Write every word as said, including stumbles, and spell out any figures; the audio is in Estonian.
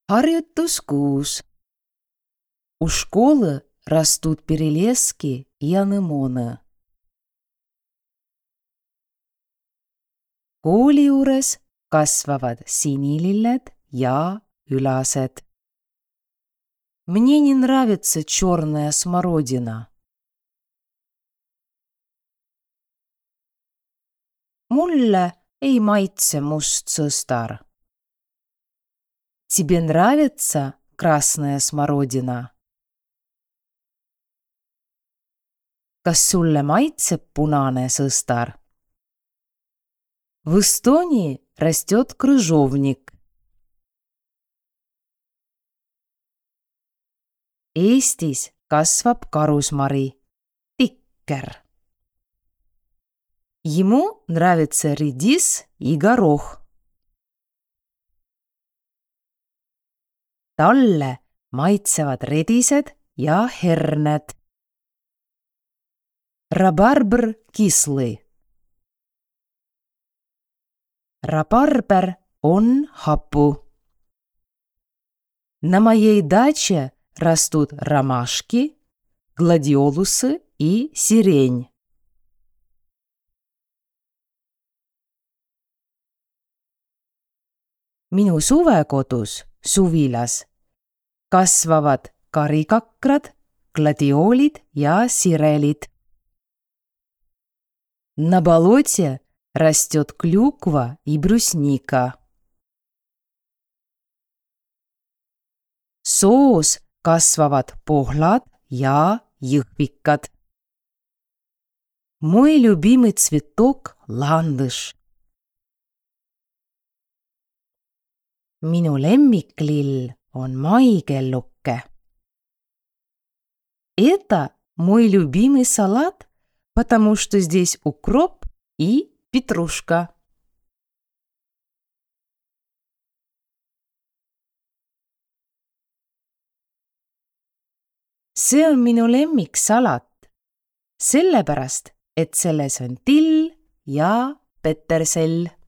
Harjutus kuus. У школы растут перелески и анемоны. Kooli juures kasvavad sinililled ja ülased. Мне не нравится черная смородина. Mulle ei maitse must sõstar. Тебе нравится красная смородина? Kas sulle maitseb punane sõstar? В Эстонии растет крыжовник. Eestis kasvab karusmari, tikker. Ему нравится редис и горох. Talle maitsevad redised ja herned. Рабарбр кислый. Рабарбер он hapu. На моей даче растут ромашки, гладиолусы и сирень. Minu suvekodus, suvilas, kasvavad karikakrad, gladioolid ja sirelid. На болоте растет клюква и брусника. Soos kasvavad pohlad ja jõhvikad. Мой любимый цветок – ландыш. Minu lemmiklill on maikelluke. Это мой любимый салат, потому что здесь укроп и петрушка. See on minu lemmiksalat, sellepärast, et selles on till ja petersell.